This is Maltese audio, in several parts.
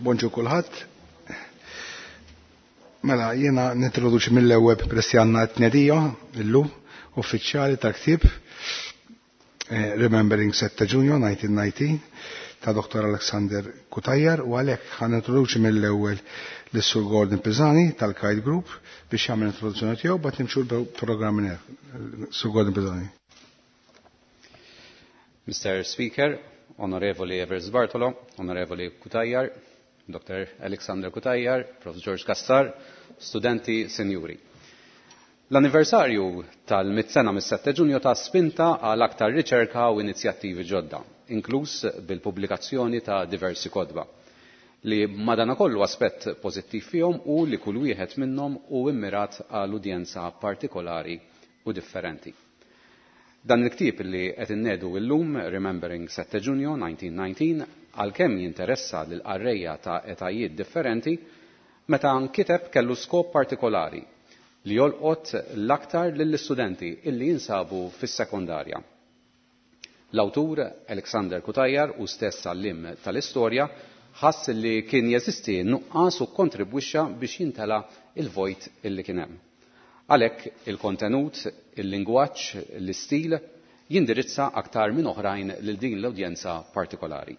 Bonġu kulħadd. Mela, jiena nintroduċi mill-ewwel peress li għandna t-tnedija illum uffiċjali tal-ktieb Remembering 7 Ġunju 1919 ta' Dr. Alexander Cutajar u għalhekk ħa nintroduċi mill-ewwel lis-Sur Gordon Pisani tal-Kite Group biex jagħmel introduzzjoni tiegħu bat nimxu l-programm minn hemm. Sur Gordon Pisani. Mr. Speaker, Onorevoli Evers Bartolo, Onorevoli Cutajar, Dr. Alexander Cutajar, Prof. George Cassar, studenti, senjuri. L-anniversarju tal-mit sena mis-7 Ġunju ta' spinta għal aktar riċerka u inizjattivi ġodda, inkluż bil-pubblikazzjoni ta' diversi kotba, li madanakollu aspett pożittiv fihom u li kull wieħed minnhom hu immirat għal udjenza partikolari u differenti. Dan il-ktieb li qed innedu illum, Remembering 7 Ġunju 1919, għalkemm jinteressa lil qarrejja ta' etajiet differenti, meta nkiteb kellu skop partikolari li jolqot l-aktar lill-istudenti illi jinsabu fis-sekondarja. L-awtur Alexander Cutajar u stess għallim tal-istorja ħass li kien jeżisti nuqqas u kontribwixxa biex jintela il-vojt illi kien hemm. Għalhekk il-kontenut, il-lingwaġġ, l-istil jindirizza aktar minn oħrajn lil din l-udjenza partikolari.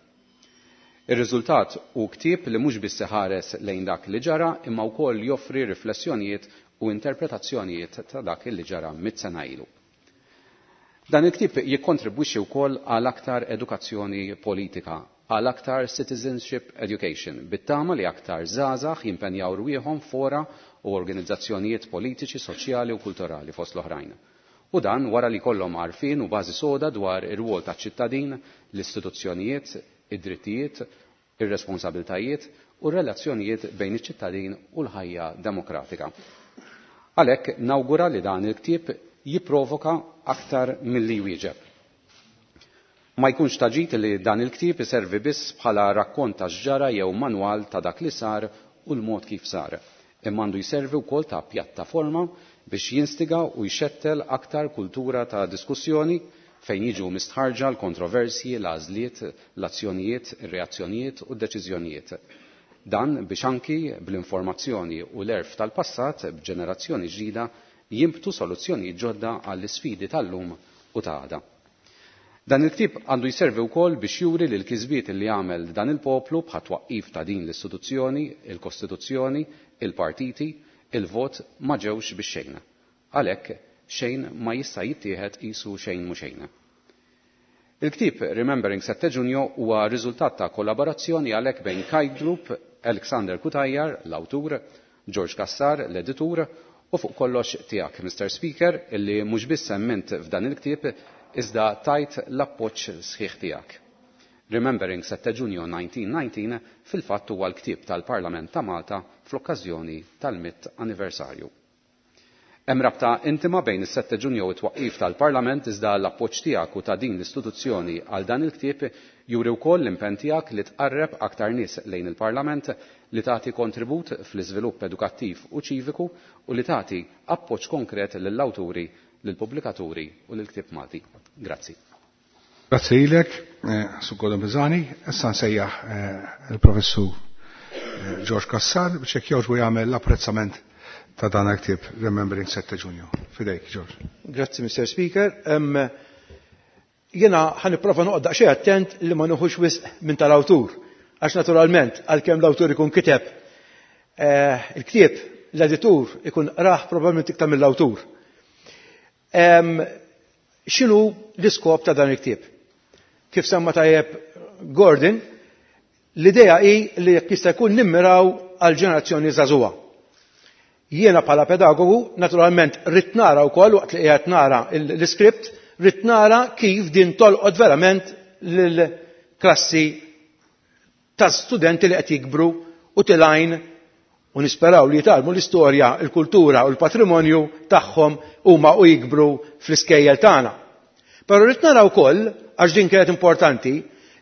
Ir-riżultat hu ktieb li mhux biss iħares lejn dak li ġara imma wkoll joffri riflessjonijiet u interpretazzjonijiet ta' dak li ġara mit sena ilu. Dan il-ktieb jikkontribwixxi wkoll għal aktar edukazzjoni politika, għal aktar citizenship education, bit-tama li aktar żgħażagħ jimpenjaw rwieħhom fora u organizzazzjonijiet politiċi, soċjali u kulturali fost l-oħrajn. U dan wara li kollhom għarfien u bażi soda dwar ir-rwol taċ-ċittadin, l-istituzzjonijiet, id-drittijiet, ir-responsabiltajiet u r-relazzjonijiet bejn iċ-ċittadin u l-ħajja demokratika. Għalhekk nawgura li dan il-ktieb jipprovoka aktar milli jwieġeb. Ma jkunx taġit li dan il-ktieb iservi biss bħala rakkont ta' x'ġara jew manwal ta' dak li sar u l-mod kif sar. Imma għandu jservi wkoll ta' pjattaforma biex jinstiga u jxettel aktar kultura ta' diskussjoni fejn jiġu mistħarġa l-kontroversji, l-għażliet, l-azzjonijiet, ir-reazzjonijiet u d-deċiżjonijiet. Dan biex anki bl-informazzjoni u l-għerf tal-passat b'ġenerazzjoni ġdida jimbtu soluzzjonijiet ġodda għall-isfidi tal-lum u ta' għada. Dan il-ktieb għandu jservi wkoll biex juri li l-kisbiet li għamel dan il-poplu bħat twaqqif ta' din l-istituzzjoni, il-Kostituzzjoni, il-partiti, il-vot ma ġewx biex xejn. Għalhekk xejn ma jista' jittieħed qisu xejn mhu xejn. Il-ktieb Remembering 7 Ġunju huwa riżultat ta' kollaborazzjoni għalhekk bejn Kite Group, Alexander Cutajar, l-awtur, George Cassar, l-editur, u fuq kollox tiegħek, Mr. Speaker, illi mhux biss semmint f'dan il-ktieb iżda tajt l-appoġġ sħiħ tiegħek. Remembering 7 Ġunju 1919 fil-fatt huwa l-ktieb tal-Parlament ta' Malta fl-okkażjoni tal-mitt anniversarju. Hemm rabta intima bejn is-7 Ġunju u t-twaqqif tal-Parlament iżda l-appoġġ tiegħek u ta' din l-istituzzjoni għal dan il-ktieb juri wkoll l-impenn tiegħek li tqarreb aktar nies lejn il-Parlament, li tagħti kontribut fl-iżvilupp edukattiv u ċiviku u li tagħti appoġġ konkret lill-awturi, lill-pubblikaturi u lill-ktieb Malti. Grazzi. Grazzi lilek, Sur Gordon Pisani. Issa nsejjaħ il-Professur George Cassar biex jekk jogħġbu jagħmel l-apprezzament ta' dan il-ktieb Remembering 7 Ġunju. Fidejk, George. Grazzi, Mr. Speaker. Jena ħa nipprova noqgħod daqsxejn attent li ma nieħux wisq minn tal-awtur. Għax naturalment, għalkemm l-awtur ikun kiteb il-ktieb, l-editur ikun raħ probabbilment iktar mill-awtur. X'inhu l-iskop ta' dan il-ktieb? Kif semma tajjeb Gordon, l-idea hi li jekk jista' jkun nimmiraw għal ġenerazzjoni żagħżugħa. Jiena bħala pedagogu, naturalment rrid nara wkoll waqt li qiegħed nara l-iskript, rrid nara kif din tolqot verament lill-klassi ta' studenti li qed jikbru u tilgħin u nisperaw li jitgħallmu l-istorja, il-kultura u l-patrimonju tagħhom huma u jikbru fl-iskejjel tagħna. Però rrid nara wkoll, għax din kienet importanti,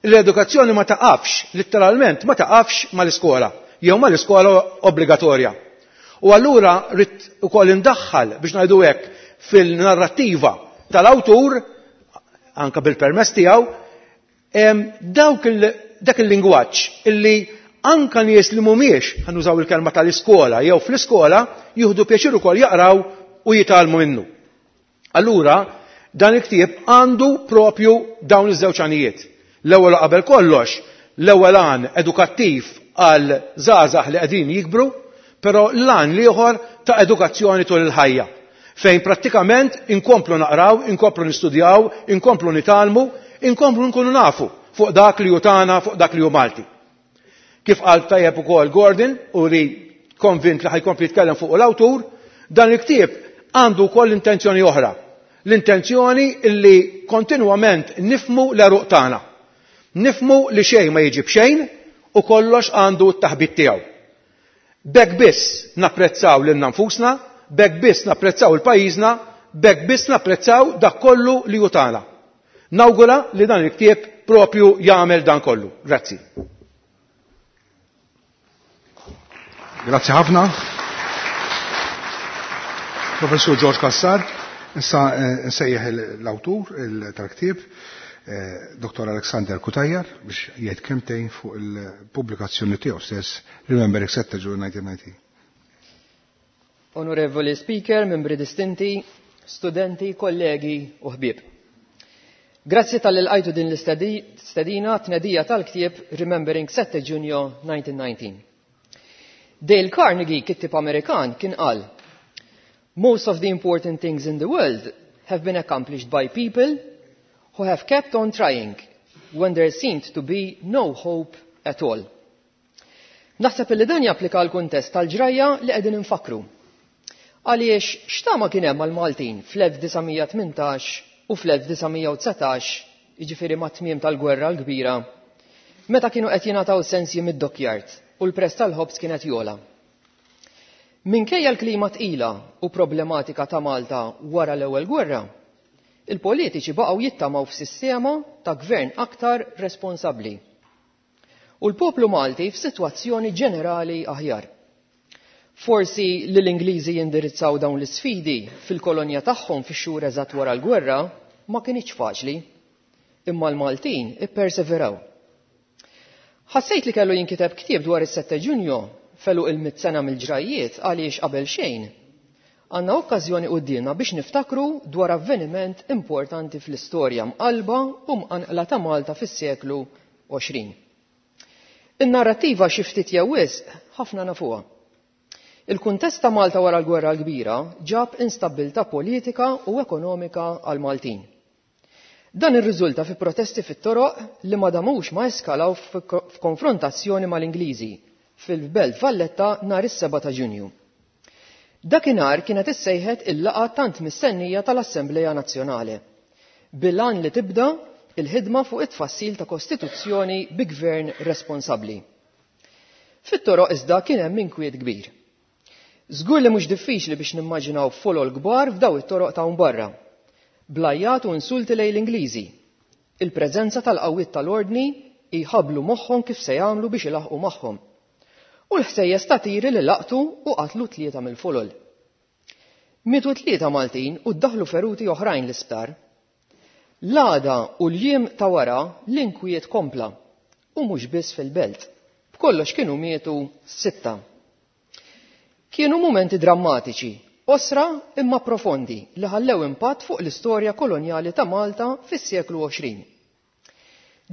l-edukazzjoni ma taqafx, letteralment ma taqafx mal-iskola, jew mal-iskola obbligatorja. U allura rrid ukoll indaħħal biex ngħidu hekk fil-narrattiva tal-awtur, anka bil-permess tiegħu, dak il-lingwaġġ illi anka nies li mhumiex, ħa nużaw il-kelma tal-iskola jew fl-iskola, jieħdu pjaċir ukoll jaqraw u jitgħallmu minnu. Allura, dan il-ktieb għandu propju dawn iż-żewġ għanijiet. L-ewwel qabel kollox, l-ewwel għan edukattiv għal żgħażagħ li qegħdin jikbru, però l-għan l-ieħor ta' edukazzjoni tul il-ħajja, fejn prattikament inkomplu naqraw, inkomplu nistudjaw, inkomplu nitgħallmu, inkomplu nkunu nafu fuq dak li hu tagħna, fuq dak li hu Malti. Kif qal tajjeb ukoll Gordon u li konvint li ħa jkompli jitkellem fuq l-awtur, dan il-ktieb għandu wkoll intenzjoni oħra. L-intenzjoni li kontinwament nifhmu l-għeruq tagħna. Nifhmu li xejn ma jiġi b'xejn u kollox għandu t-taħbit tiegħu. B'hekk biss napprezzaw lilna nfusna, b'hekk biss napprezzaw il-pajjiżna, b'hekk biss napprezzaw dak kollu li hu tagħna. Nawgura li dan il-ktieb propju jagħmel dan kollu. Grazzi. Grazzi ħafna. Professur George Cassar, issa nsejjaħ l-awtur tal-ktieb, Dr. Alexander Cutajar, biex jgħid kelmtejn fuq il-pubblikazzjoni tiegħu stess, Remembering 7 June 1990. Onorevoli Speaker, membri distinti, studenti, kollegi u ħbieb. Grazzi talli lqajtu din l-istedina tnedija tal-ktieb Remembering 7 Ġunju 1919. Dale Carnegie, kittib Amerikan, kien qal: "Most of the important things in the world have been accomplished by people who have kept on trying when there seemed to be no hope at all." Naħseb li dan japplika l-kuntest tal-ġrajja li qegħdin infakru. Għaliex x'tama kien hemm għal-Maltin fl-1918 u fl-1919, jiġifieri mat-tmiem tal-Gwerra l-Kbira, meta kienu qed jingħataw sensji mid-dockyard u l-prezz tal-ħobż kienet jogħla? Minkejja l-klima tqila u problematika ta' Malta wara l-ewwel gwerra, il-politiċi baqgħu jittamaw f'sistema ta' gvern aktar responsabbli. U l-poplu Malti f'sitwazzjoni ġenerali aħjar. Forsi li l-Ingliżi jindirizzaw dawn l-isfidi fil-kolonja tagħhom fix-xhur eżatt wara l-gwerra ma kinitx faċli, imma l-Maltin ipperseveraw. Ħassejt li kellu jinkiteb ktieb dwar is-7 Ġunju f'għeluq il-100 sena mill-ġrajjiet għaliex qabel xejn għandna okkażjoni quddiemna biex niftakru dwar avveniment importanti fl-istorja mqalba u mqanqla ta' Malta fis-seklu 20. In-narrattiva xi ftit jew wisq ħafna nafuha. Il-kuntest ta' Malta wara l-Gwerra l-Kbira ġab instabbiltà politika u ekonomika għal Maltin. Dan irriżulta fi protesti fit-toroq li ma damux ma eskalaw f'konfrontazzjoni mal-Ingliżi fil-Belt Valletta nhar is-7 ta' Ġunju. Dakinhar kienet issejħet il-laqgħa tant mistennija tal-Assembleja Nazzjonali, bil-għan li tibda il-ħidma fuq it-tfassil ta' kostituzzjoni bi gvern responsabbli. Fit-toroq iżda kien hemm inkwiet kbir. Żgur li mhux diffiċli biex nimmaġinaw folol kbar f'daw it-toroq ta' barra, bl-għajjat u insulti lejn l-Ingliżi. Il-preżenza tal-qawwiet tal-ordni jħablu moħħhom kif se jagħmlu biex ilaħqu magħhom. U l-ħsejjes ta' tiri li laqtu u qatlu tlieta mill-folol. Mietu tlieta Maltin u ddaħlu feruti oħrajn l-isptar. L-għada u l-jiem ta' wara l-inkwiet kompla u mhux biss fil-belt. B'kollox kienu mietu sitta. Kienu mumenti drammatiċi, qosra imma profondi li ħallew impatt fuq l-istorja kolonjali ta' Malta fis-seklu 20.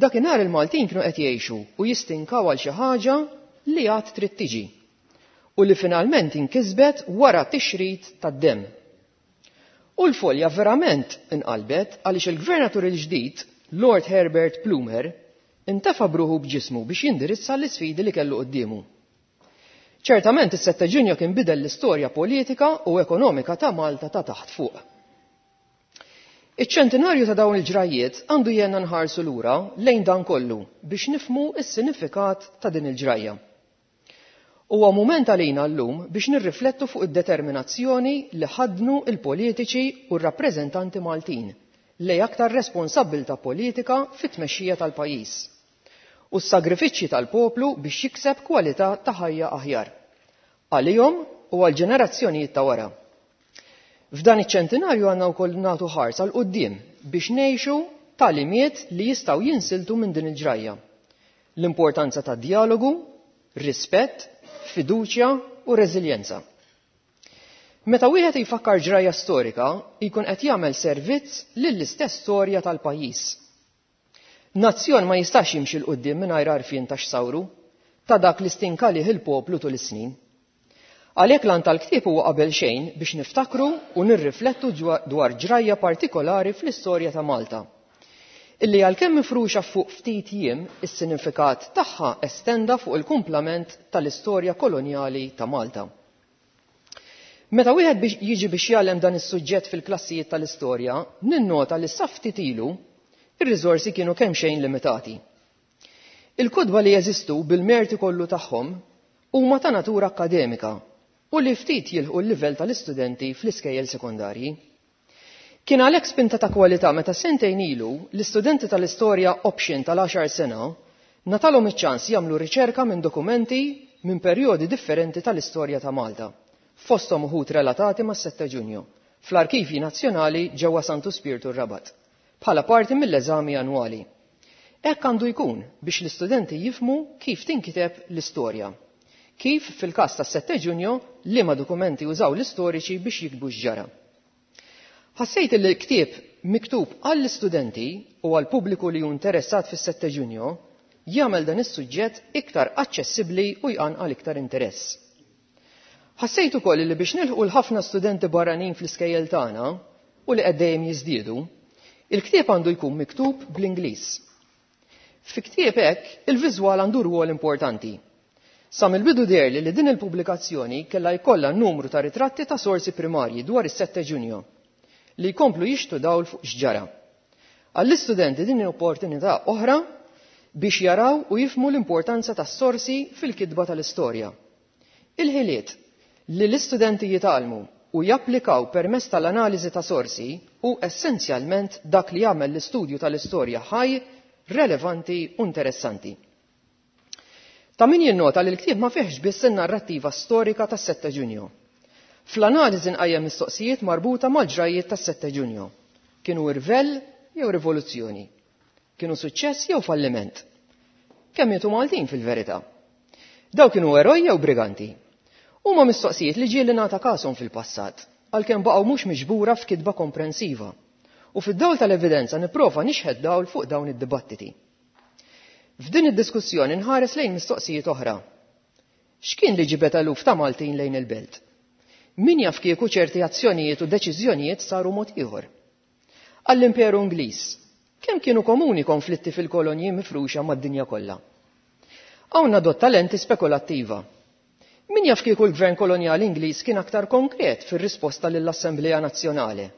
Dakinhar il-Maltin kienu qed jgħixu u jistinkaw għal xi ħaġa li għad trid tiġi u li finalment inkisbet wara tixrid tad-demm. U l-folja verament inqalbet għaliex il-gvernatur il-ġdid, Lord Herbert Plumer, intefa bruħu b'ġismu biex jindirizza l-isfidi li kellu quddiemu. Ċertament is-7 Ġunju kien bidel l-istorja politika u ekonomika ta' Malta ta' taħt fuq. Iċ-ċentinarju ta' dawn il-ġrajjiet għandu jgħinna nħarsu lura lejn dan kollu biex nifhmu s-sinifikat ta' din il-ġrajja. Huwa mument għalina llum biex nirriflettu fuq id-determinazzjoni li ħadnu il-politiċi u r-rappreżentanti Maltin lejn aktar responsabbiltà politika fit-tmexxija tal-pajjiż u s-sagrifiċċji tal-poplu biex jikseb kwalità ta' ħajja aħjar għalihom u għal ġenerazzjonijiet ta' wara. F'dan iċ-ċentinarju għandna wkoll nagħtu ħarsa 'l quddiem biex ngħixu tagħlimiet li jistgħu jinsiltu minn din il-ġrajja. L-importanza ta' dialogu, rispett, fiduċja u reżiljenza. Meta wieħed jfakkar ġrajja storika, jkun qed jagħmel servizz lill-istess storja tal-pajjiż. Nazzjon ma jistax jimxi 'l quddiem mingħajr għarfien ta' x'sawru, ta' dak li stinka lih il-poplu tul is-snin. Għalhekk l-għan tal-ktieb huwa qabel xejn biex niftakru u nirriflettu dwar ġrajja partikolari fl-istorja ta' Malta. Illi għalkemm mifruxa fuq ftit jiem, is-sinifikat tagħha estenda fuq il-kumplament tal-istorja kolonjali ta' Malta. Meta wieħed biex jiġi biex jgħallem dan is-suġġett fil-klassijiet tal-istorja, ninnota li sa ftit ilu ir-riżorsi kienu kemm xejn limitati. Il-kotba li jeżistu bil-merti kollu tagħhom huma ta' natura akkademika u li ftit jilħqu l-livell tal-istudenti fl-iskejjel sekondarji. Kien għalhekk spinta ta' kwalità meta sentejn ilu l-istudenti tal-istorja option tal-10 sena ngħatalhom iċ-ċans jagħmlu riċerka minn dokumenti minn perjodi differenti tal-istorja ta' Malta, fosthom uħud relatati mas-7 Ġunju, fl-Arkivji Nazzjonali ġewwa Santu Spirtu r-Rabat, bħala parti mill-eżami annwali. Hekk għandu jkun biex l-istudenti jifhmu kif tinkiteb l-istorja. Kif fil-każ tas-7 Ġunju liema dokumenti użaw l-istoriċi biex jiktbu x'ġara. Ħassejt li l-ktieb miktub għall-istudenti u għall-pubbliku li hu interessat fis-7 Ġunju jagħmel dan is-suġġett iktar aċċessibbli u jqanqal iktar interess. Ħassejt ukoll li biex nilħqu l-ħafna studenti barranin fl-iskejjel tagħna u li qed dejjem jiżdiedu, il-ktieb għandu jkun miktub bl-Ingliż. Fi ktieb hekk, il-viżwal għandu rwol importanti. Sa mill-bidu deherli li din il-pubblikazzjoni kellha jkollha numru ta' ritratti ta' sorsi primarji dwar is-7 Ġunju li jkomplu jixtu dawl fuq x'ġara. Għall-istudenti din opportunità oħra biex jaraw u jifhmu l-importanza tas-sorsi fil-kitba tal-istorja. Il-ħiliet li l-istudenti jitgħallmu u japplikaw permezz tal-analiżi ta' sorsi hu essenzjalment dak li jagħmel l-istudju tal-istorja ħaj, relevanti u interessanti. Ta' min jinnota li l-ktieb ma fihx biss in-narrattiva storika tas-7 Ġunju. Fl-analiżi nqajjem mistoqsijiet marbuta mal-ġrajjiet tas-7 Ġunju. Kienu irvell jew rivoluzzjoni? Kienu suċċess jew falliment? Kemm mietu Maltin fil-verità? Daw kienu eroj jew briganti? Huma mistoqsijiet li ġieli ngħata kashom fil-passat, għalkemm baqgħu mhux miġbura f'kitba komprensiva. U fid-dawl tal-evidenza nipprova nixħet dawl fuq dawn id-dibattiti. F'din id-diskussjoni nħares lejn mistoqsijiet oħra. X'kien li ġibed eluf ta' Maltin lejn il-belt? Min jaf kieku ċerti azzjonijiet u deċiżjonijiet saru mod ieħor? Għall-Imperu Ingliż, kemm kienu komuni konflitti fil-kolonji mifruxa mad-dinja kollha? Hawn nadotta lenti spekulattiva. Min jaf kieku l-Gvern Kolonjali Ingliż kien aktar konkret fir-risposta lill-Assemblea Nazzjonali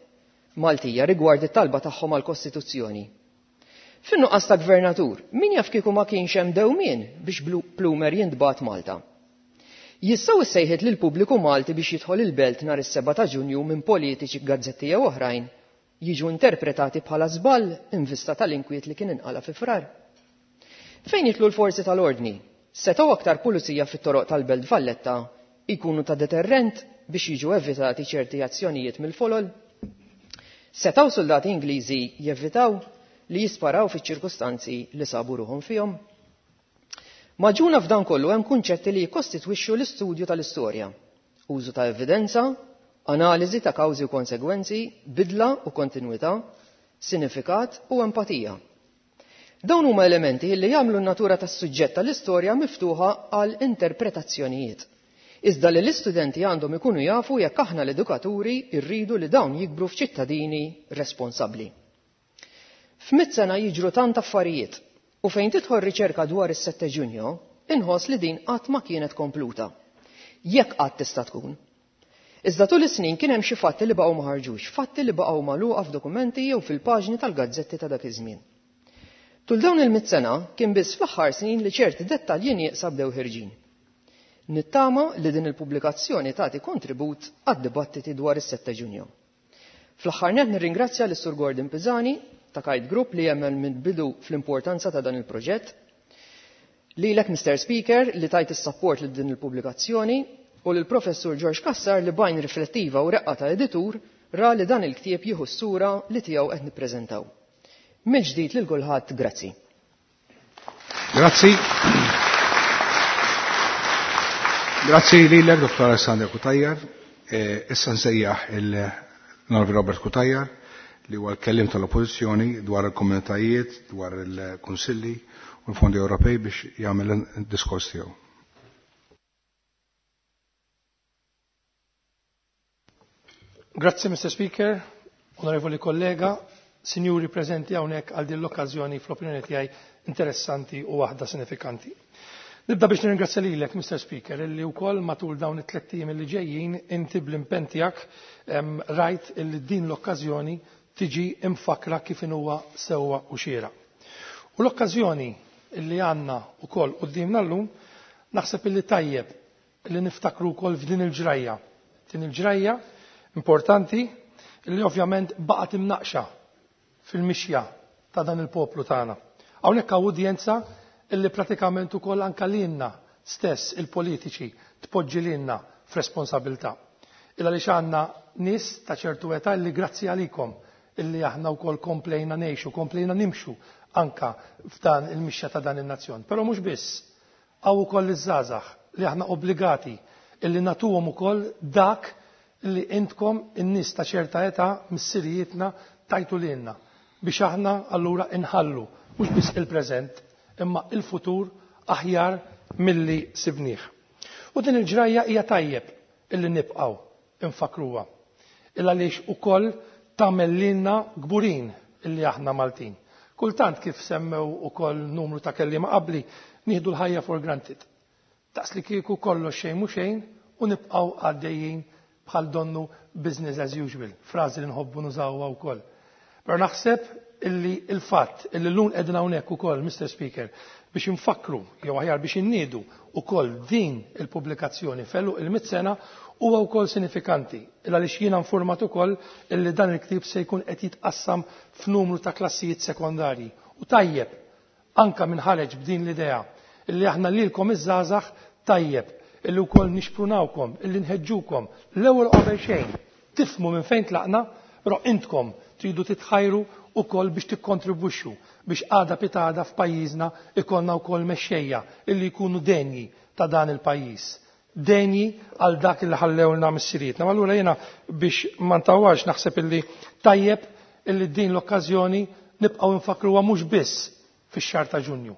Maltija rigward it-talba tagħhom għall-Kostituzzjoni. Fin-nuqqas ta' gvernatur, min jaf kieku ma kienx hemm dewmien biex Plumer jintbagħat Malta. Jistgħu ssejħiet lill-pubbliku Malti biex jidħol il-belt nhar is-7 ta' Ġunju minn politiċi, gazzetti jew oħrajn jiġu interpretati bħala żball in vista tal-inkwiet li kien inqala fi Frar. Fejn jidħlu l-forzi tal-ordni, setgħu aktar pulizija fit-toroq tal-Belt Valletta jkunu ta' deterrent biex jiġu evitati ċerti azzjonijiet mill-folol? Setgħu soldati Ingliżi jevitaw li jisparaw fiċ-ċirkustanzi li sabu ruħhom fihom? Magħġuna f'dan kollu hemm kunċetti li jikkostitwixxu l-istudju tal-istorja. Użu ta' evidenza, analiżi ta' kawżi u konsegwenzi, bidla u kontinwità, sinifikat u empatija. Dawn huma elementi li jagħmlu n-natura tas-suġġett tal-istorja miftuħa għal interpretazzjonijiet. Iżda li l-istudenti għandhom ikunu jafu jekk aħna l-edukaturi rridu li dawn jikbru f'ċittadini responsabbli. F'mitt sena jiġru tant affarijiet u fejn tidħol riċerka dwar is-7 Ġunju, inħoss li din qatt ma kienet kompluta. Jekk qatt tista' tkun. Iżda tul is-snin kien hemm xi fatti li baqgħu ma ħarġux, fatti li baqgħu magħluqa f'dokumenti jew fil-paġni tal-gazzetti ta' dak iż-żmien. Tul dawn il-mitt sena kien biss fl-aħħar snin li ċerti dettalji nieqsa bdew ħirġin. Nittama li din il-pubblikazzjoni tagħti kontribut għad-dibattiti dwar is-7 Ġunju. Fl-aħħar nett nirringrazzja lis Sur Gordon Pisani ta' Kite Group li jemmen minn bidu fl-importanza ta' dan il-proġett, lilek Mr. Speaker li tajt is-support lil din il-pubblikazzjoni u lil Professur George Cassar li b'għajn riflettiva u reqqa ta' editur ra li dan il-ktieb jieħu s-sura li tiegħu qed nippreżentaw. Mill-ġdid lil kulħadd, grazzi. Grazzi. Grazzi lilek, Dr. Alessandro Cutajar. Issa nsejjaħ il-Norvi Robert Cutajar li huwa l-kellim tal-Oppożizzjoni dwar il-komunitajiet, dwar il-Kunsilli u l-Fondi Ewropej biex jagħmel id-diskors tiegħu. Grazzi, Mr. Speaker, onorevoli kollega, sinjuri preżenti hawnhekk għal din l-okkażjoni fl-opinjoni tiegħi interessanti u waħda sinifikanti. Nibda biex nirringrazzja lilek, Mr. Speaker, illi wkoll matul dawn it-tliet ijiem li ġejjin inti bl-impenn tiegħek rajt illi din l-okkażjoni tiġi imfakra kif huwa sewwa u xiera. U l-okkażjoni illi għandna wkoll quddiemna llum naħseb illi tajjeb li niftakru wkoll f'din il-ġrajja. Din il-ġrajja importanti illi ovvjament baqgħet imnaqxa fil-mixja ta' dan il-poplu tagħna. Hawnhekk hawn udjenza illi pratikament ukoll anka lilna stess il-politiċi tpoġġi lilna f'responsabilità. Illa għaliex għandna nies ta' ċertu età illi grazzi għalikom illi aħna wkoll komplejna ngħixu, komplejna nimxu anka f'dan il-mixja ta' dan in-nazzjon. Però mhux biss, hawn ukoll iż-żgħażagħ li aħna obbligati illi nagħtuhom ukoll dak li intkom in-nies ta' ċerta età missirijietna tajtu lilna biex aħna allura inħallu mhux biss il-preżent imma il-futur aħjar milli sibnieh. U din il-ġrajja hija tajjeb illi nibqgħu infakruha. Illa għaliex ukoll tagħmel lilna kburin illi aħna Maltin. Kultant kif semmew ukoll numru ta' kelliema qabli, nieħdu l-ħajja for granted. Daqs li kieku kollox xejn mhu xejn u nibqgħu għaddejjin bħal donnu business as usual, frażi li nħobbu nużawha wkoll. Però naħseb illi il-fatt illi llum qegħdin hawnhekk ukoll, Mr. Speaker, biex infakkru jew aħjar biex inniedu ukoll din il-pubblikazzjoni fellu il-mit sena huwa wkoll sinifikanti. Il għaliex jiena informat ukoll illi dan il-ktieb se jkun qed jitqassam f'numru ta' klassijiet sekondarji. U tajjeb anka minn ħareġ b'din l-idea illi aħna lilkom iż-żgħażagħ tajjeb illi wkoll nixprunawkom, illi nħeġġukom l-ewwel qabel xejn tifhmu minn fejn tlaqna, però intkom tridu titħajru ukoll biex tikkontribwixxu biex għada pitada f'pajjiżna ikollna wkoll mexxejja illi jkunu denji ta' dan il-pajjiż. Denji għal dak illi ħallewlna missirietna. Ma allura jiena biex ma ntawwarx naħseb illi tajjeb illi din l-okkażjoni nibqgħu nfakruha mhux biss fix-xahar ta' Ġunju.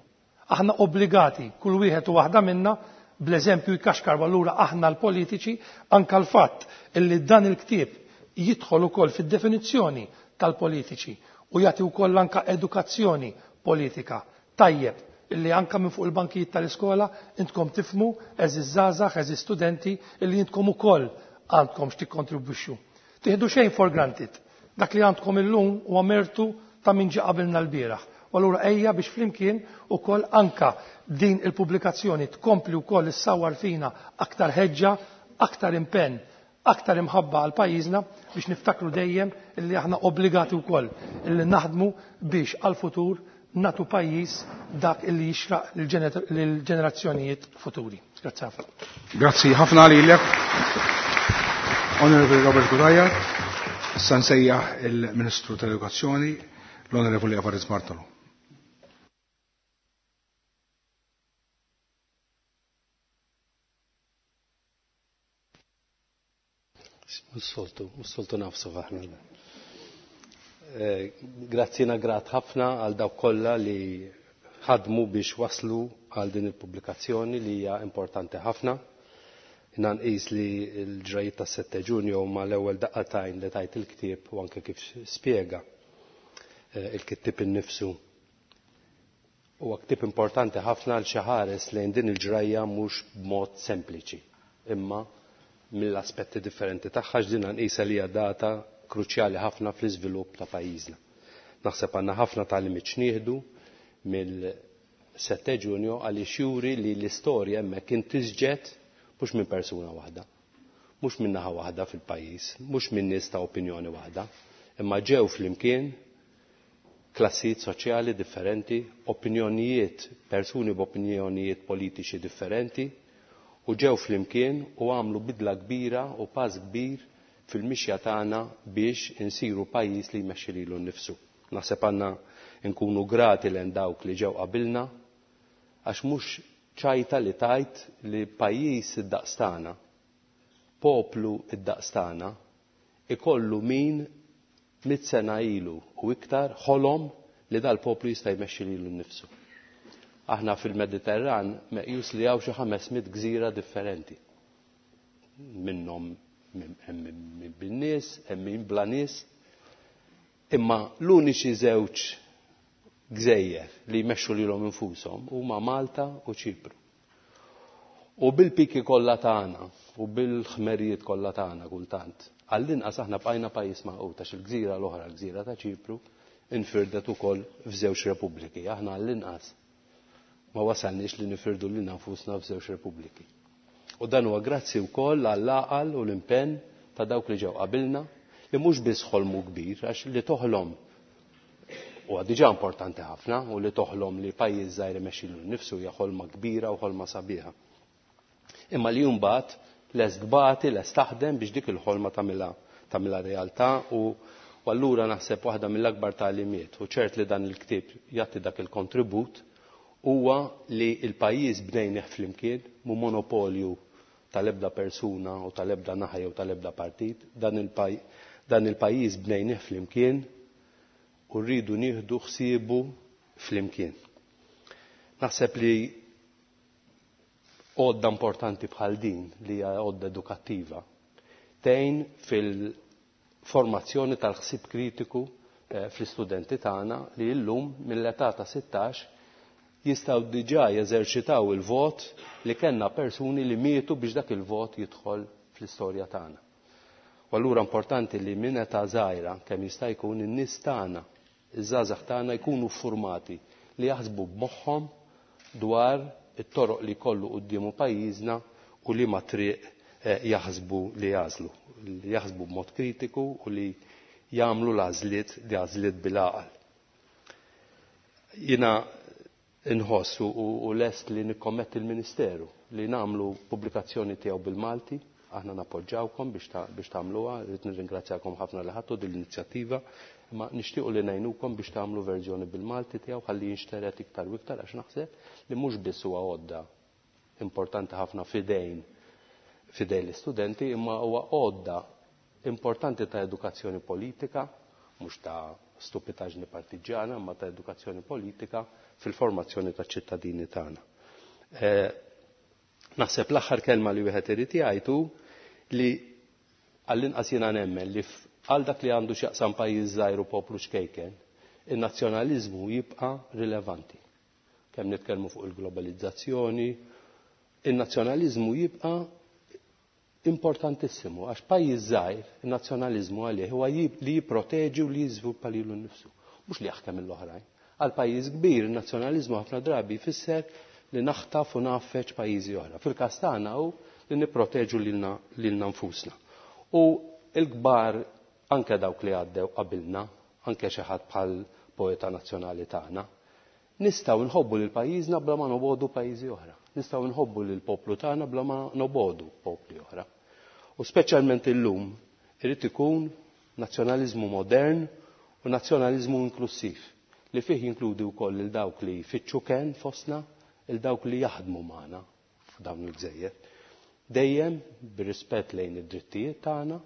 Aħna obbligati, kull wieħed u waħda minna, bl-eżempju jkaxkar allura aħna l-politiċi, anka l-fatt illi dan il-ktieb jidħol ukoll fid-definizzjoni tal-politiċi u jagħti wkoll anka edukazzjoni politika. Tajjeb illi anka minn fuq il-bankijiet tal-iskola intkom tifhmu għeżież żgħażagħ, għeżież studenti illi intkom ukoll għandkom x'tikkontribwixxu. Tieħdu xejn for granted. Dak li għandkom illum huwa mertu ta' min ġie qabilna l-bieraħ. U allura ejja biex flimkien ukoll anka din il-pubblikazzjoni tkompli wkoll issawwar fina aktar ħeġġa, aktar impenn, aktar imħabba għal pajjiżna biex niftakru dejjem illi aħna obbligati wkoll illi naħdmu biex għal futur natu pajjiż dak illi jixraq lill-ġenerazzjonijiet futuri. Grazzi ħafna. Grazzi ħafna lilek, Honorable Robert Cutajar. Issa nsejjaħ il-Ministru tal-Edukazzjoni, l-Onorevoli Evarist Bartolo. Mhux soltu nafsu aħna. Grazzi grat ħafna għal dawk kollha li ħadmu biex waslu għal din il-pubblikazzjoni li hija importanti ħafna. Jiena nqis li l-ġrajiet tas-7 Ġunju huma l-ewwel daqqatajn li tajt il-ktieb u anke kif spjega il-kittieb innifsu. Huwa ktieb importanti ħafna għal xi ħares lejn din il-ġrajja mhux b'mod sempliċi, imma mill-aspetti differenti tagħha x'din nqisha li hija data kruċjali ħafna fl-iżvilupp ta' pajjiżna. Naħseb għandna ħafna tagħlimiet x'nieħdu mill-7 Ġunju għaliex juri li l-istorja hemmhekk intisġet mhux minn persuna waħda, mhux minn naħa waħda fil-pajjiż, mhux minn nies ta' opinjoni waħda, imma ġew flimkien klassijiet soċjali differenti, opinjonijiet, persuni b'opinjonijiet politiċi differenti, u ġew flimkien u għamlu bidla kbira u pass kbir fil-mixja tagħna biex insiru pajjiż li jmexxi lilu nnifsu. Naħseb għandna nkunu grati lejn dawk li ġew qabilna għax mhux ċajta li tajt li pajjiż id-daqs tagħna, poplu id-daqs tagħna, ikollu min 100 sena ilu u iktar ħolom li dal-poplu jista' jmexxi lilu nnifsu. Aħna fil-Mediterran meqjus li hawn xi 500 gżira differenti. Minnhom hemm bin-nies, hemm min bla nies. Imma l-uniċi żewġ gżejjer li jmexxu lilhom infushom huma Malta u Ċipru. U bil-piki kollha tagħna u bil-ħmerijiet kollha tagħna kultant, għall-inqas aħna bqajna pajjiż magħqud għax il-gżira l-oħra, l-gżira ta' Ċipru, infirdet ukoll f'żewġ repubbliki. Aħna għall-inqas ma wasalniex li nifirdu lilna nfusna f'żewġ repubbliki. U dan huwa grazzi wkoll għall-għaqal u l-impenn ta' dawk li ġew qabilna li mhux biss ħolmu kbir, għax li toħlom huwa diġà importanti ħafna u li toħlom li pajjiż żgħir imexxi lilu nnifsu hija ħolma kbira u ħolma sabiħa. Imma li mbagħad lest tbati, lest taħdem biex dik il-ħolma tagħmilha realtà u allura naħseb waħda mill-akbar tagħlimiet u ċert li dan il-ktieb jagħti dak il-kontribut huwa li l-pajjiż bnejnih flimkien, mhu monopolju tal-ebda persuna u tal-ebda naħa jew tal-ebda partit, dan il-pajjiż bnejnih flimkien u rridu nieħdu ħsiebu flimkien. Naħseb li għodda importanti bħal din li hija għodda edukattiva tgħin fil-formazzjoni tal-ħsieb kritiku fl-istudenti tagħna li llum mill-età ta' 16 jistgħu diġà jeżerċitaw il-vot li kellna persuni li mietu biex dak il-vot jidħol fl-istorja tagħna. U allura importanti li minn età żgħira kemm jista' jkun in-nies tagħna, iż-żgħażagħ tagħna jkunu formati li jaħsbu b'moħħhom dwar it-toroq li kollu quddiemu pajjiżna u li ma triq jaħsbu li jagħżlu, li jaħsbu b'mod kritiku u li jagħmlu l-għażliet li għażliet bil-għaqal. Jiena inħoss u lest li nikkommetti l-Ministeru li nagħmlu pubblikazzjoni tiegħu bil-Malti, aħna nappoġġawkom biex tagħmluha, rrid nirringrazzjakom ħafna li ħadtu din l-inizjattiva, imma nixtiequ li ngħinukom biex tagħmlu verżjoni bil-Malti tiegħu ħalli jinxteret iktar u iktar għax naħseb li mhux biss huwa għodda importanti ħafna fidejn l-istudenti, imma huwa għodda importanti ta' edukazzjoni politika, mhux ta' stupitaġni partiġjana, imma ta' edukazzjoni politika fil-formazzjoni ta' ċittadini tagħna. Naħseb l-aħħar kelma li wieħed irid jgħid li għall-inqas jiena nemmen li għal dak li għandu x'jaqsam pajjiż żgħir u poplu ċkejken, in-nazzjonaliżmu jibqa' rilevanti. Kemm nitkellmu fuq il-globalizzazzjoni, in-nazzjonaliżmu jibqa' importantissimu għax pajjiż żgħir in-nazzjonaliżmu għalih huwa li jipproteġi u li jiżviluppa lilu nnifsu, mhux li jaħkem l-oħrajn. Għal pajjiż kbir in-nazzjonaliżmu ħafna drabi jfisser li naħtaf u ngħaffeġ pajjiżi oħra. Fil-każ tagħna hu li nipproteġu lilna nfusna. U l-kbar anke dawk li għaddew qabilna, anke xi ħadd bħal poeta nazzjonali tagħna, nistgħu nħobbu lil pajjiżna bla ma nobogħdu pajjiżi oħra. Nistgħu nħobbu lil poplu tagħna bla ma nobogħdu popli oħra. U speċjalment illum irid ikun nazzjonaliżmu modern u nazzjonaliżmu inklusiv li fih jinkludi wkoll lil dawk li jfittxu ken fostna, il dawk li jaħdmu magħna f'dawn il-gżejjer. Dejjem bir-rispett lejn id-drittijiet tagħna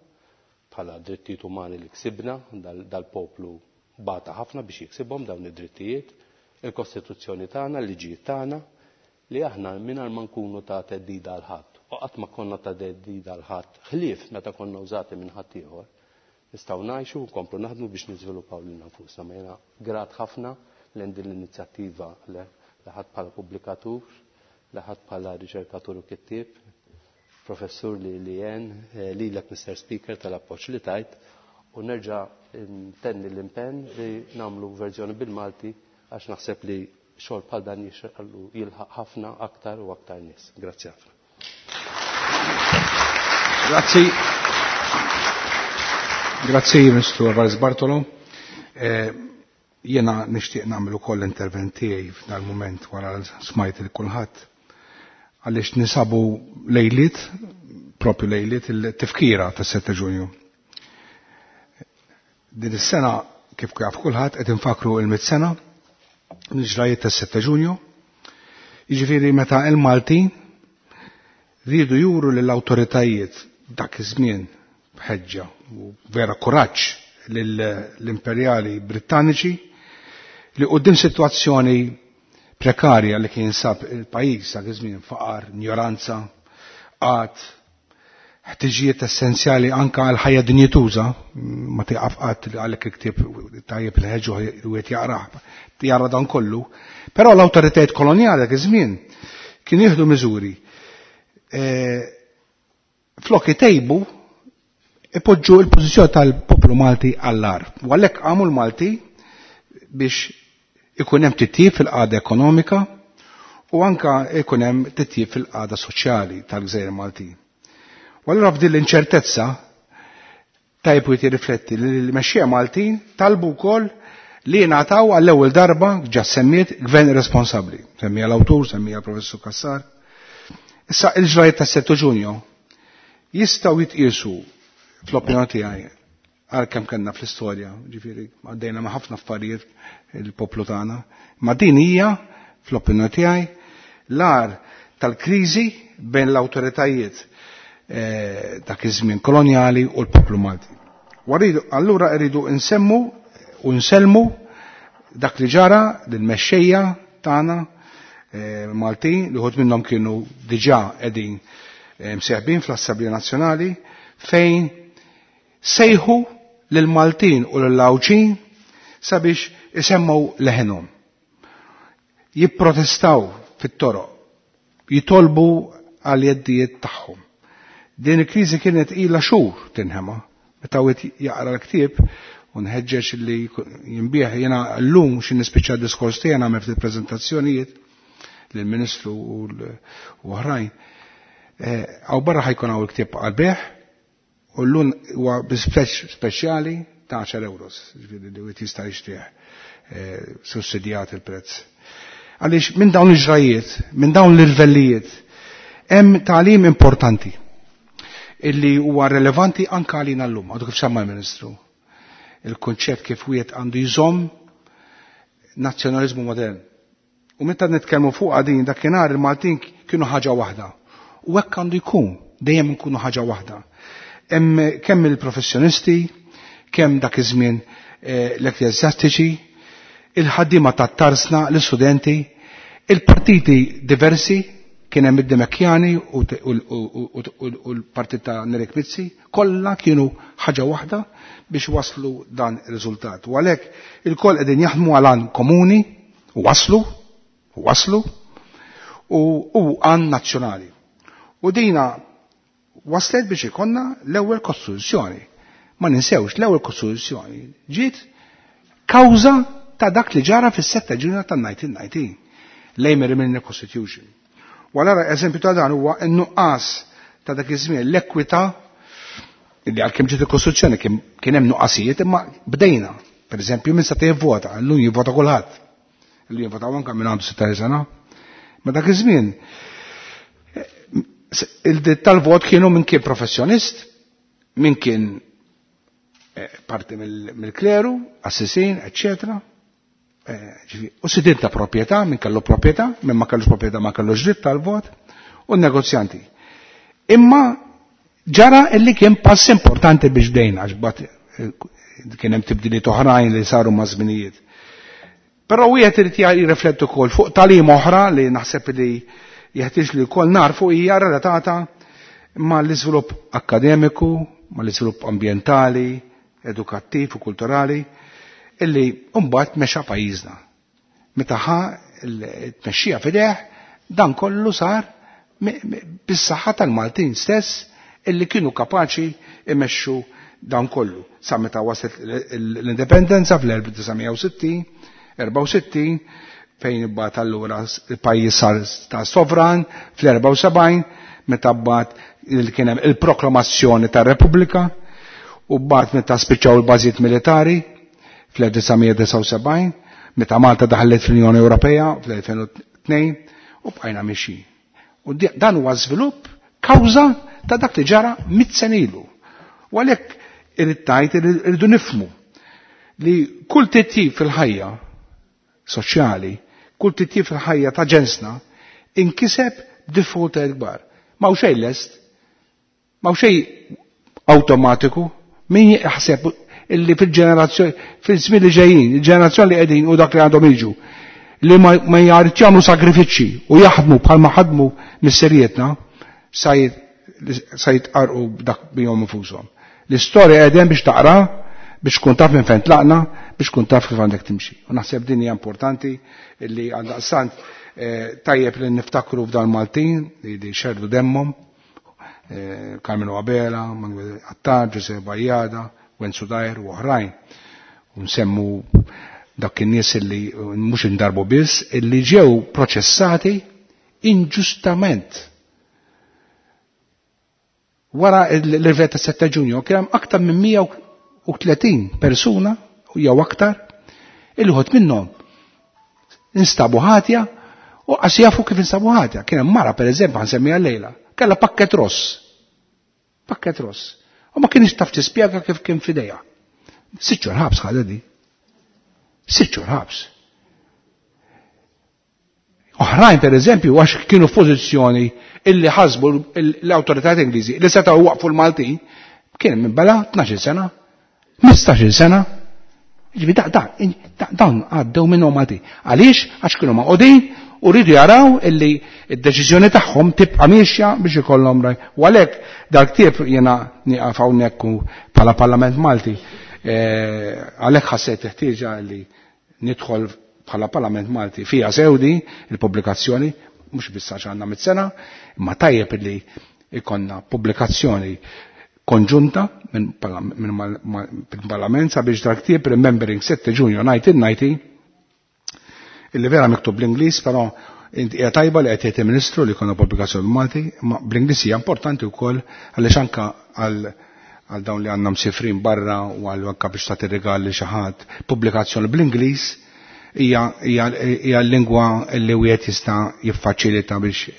bħala drittijiet umani li ksibna, dal-poplu bata ħafna biex jiksibhom dawn id-drittijiet, il-Kostituzzjoni tagħna, l-liġijiet tagħna, li aħna mingħajr ma nkunu ta' theddida għal ħadd, u qatt ma konna ta' theddida għal ħadd, ħlief meta konna użati minn ħadd ieħor, nistgħu ngħixu u nkomplu naħdmu biex niżviluppaw lilna nfusna. Ma jiena grat ħafna lejn din l-inizjattiva li ħadd bħala pubblikatur, li ħadd bħala riċerkatur u kittieb, professur li jen, lilek Mr. Speaker tal-appoġġ li tajt, u nerġa' ntenni l-impenn li nagħmlu verżjoni bil-Malti għax naħseb li xogħol bħal dan jixraqlu jilħaq ħafna aktar u aktar nies. Grazzi ħafna. Grazzi. Grazzi, Mr. Alvarez Bartolo. Jena nixtieq nagħmel ukoll intervent tiegħi f'dal mument wara smajt il kulħadd għaliex nisabu lejliet, propju lejliet il-tifkira tas-7 Ġunju. Din is-sena kif jaf kulħadd qed infakru il-100 sena mill-ġrajiet tas-7 Ġunju. Jiġifieri meta il-Maltin rridu juru lill-awtoritajiet dak iż-żmien b'ħeġġa u vera kuraġġ lill-imperjali Brittaniċi li quddiem sitwazzjoni prekarja li kien sab il-pajjiż dak iż-żmien faqar, ignoranza, qgħad, ħtiġijiet essenzjali anka għal ħajja dinjituża, ma tieqaf qatt li għalhekk il-ktieb tajjeb il-ħeġġu wieħed jaqrah, jara dan kollu. Però l-awtoritajiet kolonjali dak iż-żmien kienu jieħdu miżuri flok itejbu ipoġġu l-pożizzjoni tal-poplu Malti għall-ar. U għalhekk qamu l-Malti biex ikun hemm titjib fil-qagħda ekonomika u anka ikun hemm titjib fil-qagħda soċjali tal-Gżejjer Maltin. U allura f'din l-inċertezza tajjeb wieħed jirrifletti li l-mexxejja Maltin talbu wkoll li jingħataw għall-ewwel darba ġa semmiet gvern responsabbli. Semmija l-awtur, semmija l-Professur Cassar. Issa il-ġrajiet tas-7 Ġunju jistgħu jitqiesu fl-opinjoni tiegħi għal kemm kellna fl-istorja, ġifieri għaddejna ma' ħafna affarijiet il-poplu tagħna, ma din hija fl-opinjoni tiegħi l-ar tal-kriżi bejn l-awtoritajiet dak iż-żmien kolonjali u l-poplu Malti. Allura rridu nsemmu u nsellmu dak li ġara lill-mexxejja tagħna Maltin li wħud minnhom kienu diġà qegħdin mseħbin fl-Assemblea Nazzjonali fejn sejħu lill-Maltin u lill-Għawdxin sabiex isemmu leħenhom. Jipprotestaw fit-toroq, jitolbu għal jeddijiet tagħhom. Din il-kriżi kienet ilha xhur tinħema. Meta wieħed jaqra l-ktieb u nħeġġeġ li jinbih jiena llum xi nispiċċa d-diskors tiegħi nagħmel ftit preżentazzjonijiet lill-Ministru u oħrajn. Hawn barra ħajkun hawn il-ktieb għall-bejgħ u llum huwa bi speċjali ta' 10 euros, ġifieri li wieħed jista' jixtrih sussidjat il-prezz. Għaliex minn dawn il-ġrajiet, minn dawn l-irvellijiet, hemm tagħlim importanti illi huwa relevanti anke għalina llum, għadu kif semma l-Ministru. Il-kunċett kif wieħed għandu jżomm nazzjonaliżmu modern. U meta nitkellmu fuq din dakinhar il-Maltin kienu ħaġa waħda. U hekk għandu jkun, dejjem nkunu ħaġa waħda. Hemm kemm il-professjonisti, kemm dak iż-żmien l-ekkleżjastiċi, il-ħaddiema tat-tarsna, l-istudenti, il-partiti diversi, kien hemm id-Dimekjani u l-partit ta' Nerik Mizzi, kollha kienu ħaġa waħda biex waslu dan ir-riżultat. U għalhekk il-koll qegħdin jaħdmu għal għan komuni, u waslu, u waslu, u għan nazzjonali. U dina waslet biex ikonna l-ewwel kostituzzjoni. Ma ninsewx l-ewwel kostituzzjoni ġiet kawża ta' dak li ġara fis-7 Ġunju tan-1919, l-Amery Milner Constitution. U allura eżempju ta' dan huwa n-nuqqas ta' dak iż-żmien l-ekwità li għalkemm ġiet il-Kostituzzjoni kien hemm nuqqasijiet imma bdejna. Per eżempju, min seta' jivvota, llum jivvota kulħadd. Illum jivvota anke minn għandu 16 sena. Ma dak iż-żmien il-dritt tal-vot kienu minn kien professjonist, minn kien parti mill-kleru, assisin, eccetera. U sidien ta' proprjetà, minn kellu proprjetà, minn ma kellux proprjetà ma kellux dritt tal-vot, u n-negozjanti. Imma ġara illi kien pass importanti biex bdejna, għax bat kien hemm tibdiliet oħrajn li saru ma' żminijiet. Però wieħed irid jirrifletti wkoll fuq tagħlim oħra li naħseb li jeħtieġ li wkoll narfu hija relatata mal-iżvilupp akkademiku, mal-iżvilupp ambjentali, edukattiv u kulturali, illi mbagħad mexa pajjiżna. Meta ħa t-tmexxija f'idejh, dan kollu sar bis-saħħa tal-Maltin stess illi kienu kapaċi imexxu dan kollu. Sa meta waslet l-indipendenza fl-1960, 64, fejn imbagħad allura il-pajjiż sar ta' sovran fl-74, meta mbagħad kien hemm il-proklamazzjoni tar-Repubblika, u mbagħad meta spiċċaw il-bażijiet militari fl-1979, meta Malta daħlet fl-Unjoni Ewropea fl-2002, u bqajna mixi. U dan huwa żvilupp kawża ta' dak li ġara mit sena ilu. U għalhekk irid tgħid irridu nifhmu li kull titjib fil-ħajja soċjali, kull titjib fil-ħajja ta' ġensna, Inkiseb b'diffikultajiet kbar. Ma xejn lest, ma xejn awtomatiku, min jaħseb illi fil-ġenerazzjoni, fil-żmien li ġejjin, il-ġenerazzjoni li qegħdin u dak li għandhom jiġu, li ma jgħarid jagħmlu sagrifiċċji u jaħdmu bħalma ħadmu misserietna, sa jitqarqu dak bihom infushom. L-istorja qegħdem biex taqra, biex tkun taf minn fejn tlaqna, biex tkun taf kif għandek timxi. U naħseb din hija importanti li għaldaqstant tajjeb li niftakru f'dan Maltin li xerdu demmhom, Carmelo Abela, Manuel Attard, Giuseppe Bajada, Wenzu Dajr u oħrajn. U nsemmu dak in-nies li mhux indarbu biss, illi ġew proċessati inġustament. Wara l-irvet ta' 7 Ġunju kien hemm aktar minn 130 persuna jew aktar illi ħodt minnhom instabu ħatja u qas jafu kif instabu ħatja. Kien hemm mara pereżempju ħansemmiha llejla, kellha pakket ross. Pakket ross. U ma kienx taf tispjega kif kien f'idejha. 6 xhur ħabs ħadha di. 6 xhur ħabs. Oħrajn per eżempju għax kienu f'pożizzjoni illi ħasbu l-awtoritajiet Ingliżi li setgħu waqfu l-Maltin, kien minn bela 12 sena, 15 sena. Ġifieri dawn għaddew minnhom Maltin. Għaliex? Għax kienu maqogħdin u rridu jaraw illi d-deċiżjoni tagħhom tibqa' miexja biex ikollhom raj. U għalhekk dal-ktieb jiena nieqaf hawnhekk bħala Parlament Malti. Għalhekk ħassejt ħtieġa li nidħol bħala Parlament Malti fija sewdi il-pubblikazzjoni, mhux biss għax għandna mit-sena, imma tajjeb illi ikonna pubblikazzjoni konġunta minn Parlament sabiex dal-ktieb Remembering 7 Ġunju 1990, illi vera miktub bl-Ingliż, però hija tajba li qed jgħid il-Ministru li jkollna pubblikazzjoni Malti, ma bl-Ingliż hija importanti wkoll għaliex anke għal dawn li għandna msifrin barra u għal anke biex tagħti rigal li xi ħadd, pubblikazzjoni bl-Ingliż hija l-lingwa li wieħed jista' jiffaċilita biex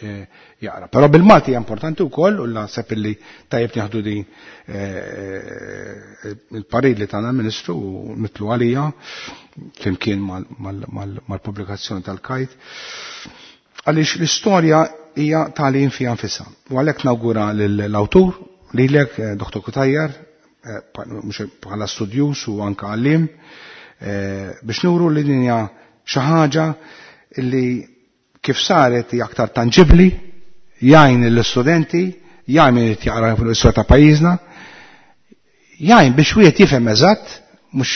jaqra. Però bil-Malti hija importanti wkoll u naħseb illi tajjeb nieħdu din il-parir li tagħna l-Ministru u nitlu għalija flimkien mal-pubblikazzjoni tal-Kajt. Għaliex l-istorja hija tagħlim fiha nfisha. U għalhekk nawgura lill-awtur, lilek, Dr. Cutajar, mhux bħala studjus u anke għalliem, biex nuru li din hija xi ħaġa li kif saret hija aktar tanġibbli, jgħin lill-istudenti, jgħin min irid jaqra fuq l-istorja ta' pajjiżna, jgħin biex wieħed jifhem eżatt, mhux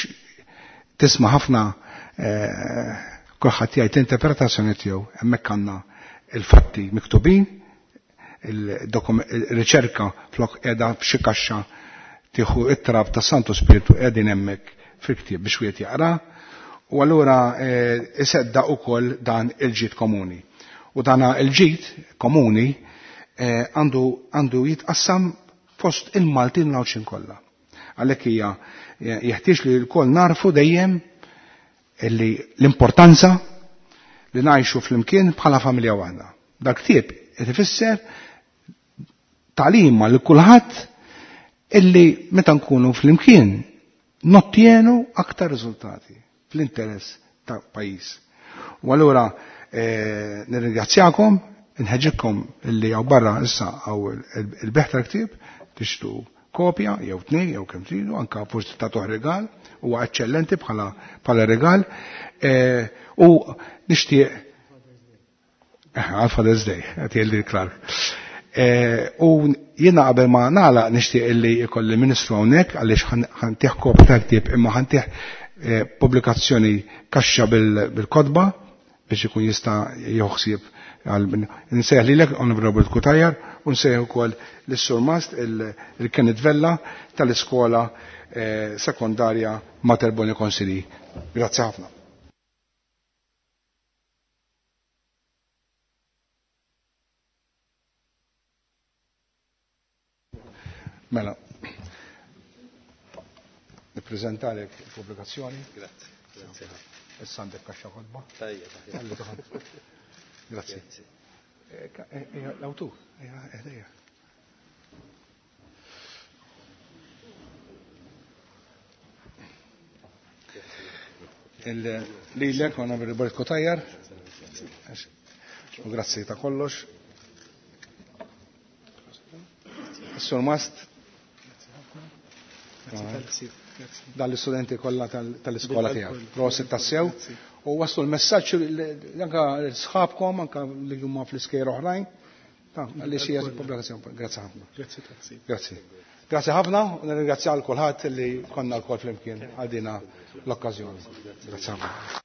tisma' ħafna kulħadd jgħid l-interpretazzjoni tiegħu, hemmhekk għandna il-fatti miktubin, il-riċerka flok qiegħda f'xi kaxxa tieħu it-trab ta' Santu Spiritu qegħdin hemmhekk fil-ktieb biex wieħed jaqra, u allura iseddaq ukoll dan il-ġid komuni. U dan il-ġid komuni għandu jitqassam fost il-Maltin u l-Għawdxin kollha. Għalhekk hija jeħtieġ li lkoll narfu dejjem illi l-importanza li ngħixu flimkien bħala familja waħda. Dak ktieb qed ifisser tagħlima lil kulħadd illi meta nkunu flimkien nottienu aktar riżultati fl-interess ta' pajjiż. U allura nirringrazzjakom, nħeġġikom illi hawn barra issa hawn il-beħ tal-ktieb tixtru kopja jew tnejn jew kemm tridu, anke forsi tagħtuh rigal, huwa eċċellenti bħala rigal. U nixtieq għal Father's Day, qed jgħidli Clark. U jiena qabel ma nagħlaq nixtieq illi jkolli Ministru hawnhekk għaliex ħantih kopja tal-ktieb imma ħantih pubblikazzjoni kaxxa bil-kotba biex ikun jista' jieħu ħsieb nsejjaħ lilek Honorable Cutajar u nsejjaħ ukoll lis-Sur Mast il-Kenneth Vella tal-iskola sekondarja Mater Boni Consilii. Grazzi ħafna. Mela, nippreżentalek il-pubblikazzjoni. Grazzi. Grazzi. Issa għandek kaxxa kotba. Tajjeb. Grazzi. L-awtur, ejja. Lilek, Honorable Cutajar. U grazzi ta' kollox. Sur Mast. Dal-istudenti kollha tal-iskola tiegħek. Prosit tassew. U waslu l-messaġġ anka sħabkom anka li huma fl-iskejjer oħrajn. Li xi pubblikazzjoni. Grazzi ħafna. Grazzi. Grazzi. Grazzi ħafna u nirringrazzja għal kulħadd li konna lkoll flimkien għal dina l-okkażjoni. Grazzi ħafna.